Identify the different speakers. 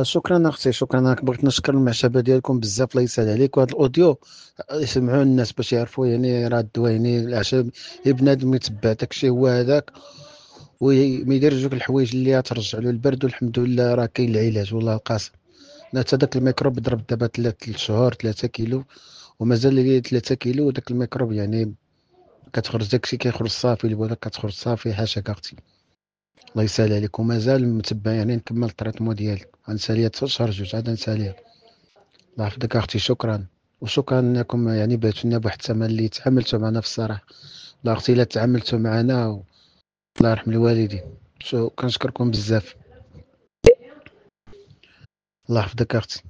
Speaker 1: شكرا اختي، شكرا. بغيت نشكر المعشبه ديالكم بزاف، الله يسهل عليك. وهذا ال audio يسمعوه الناس باش يعرفوا يعني راه الدواء يعني الاعشاب، بنادم يتبع داكشي هو هذاك وما يديرش دوك الحوايج اللي ترجع له البرد. والحمد لله راه كاين العلاج والله القاسم. حتى داك الميكروب ضرب دابا 3 شهور 3 كيلو ومازال لي 3 كيلو، وداك الميكروب يعني كتخرج داكشي كيخرج صافي، البوله كتخرج صافي. حاشاك اختي، الله يسهل عليك. ومازال متبع يعني نكمل ال traitement ديالي، غنساليها حتى شهر 2 عاد نساليها. الله يحفظك اختي، شكرا. وشكرا انكم يعني بعثوا لنا بواحد الثمن اللي تعاملتوا معنا في الصراحة. الله اختي الا تعاملتوا معنا الله يرحم الوالدين. شو كنشكركم بزاف، الله يحفظك اختي.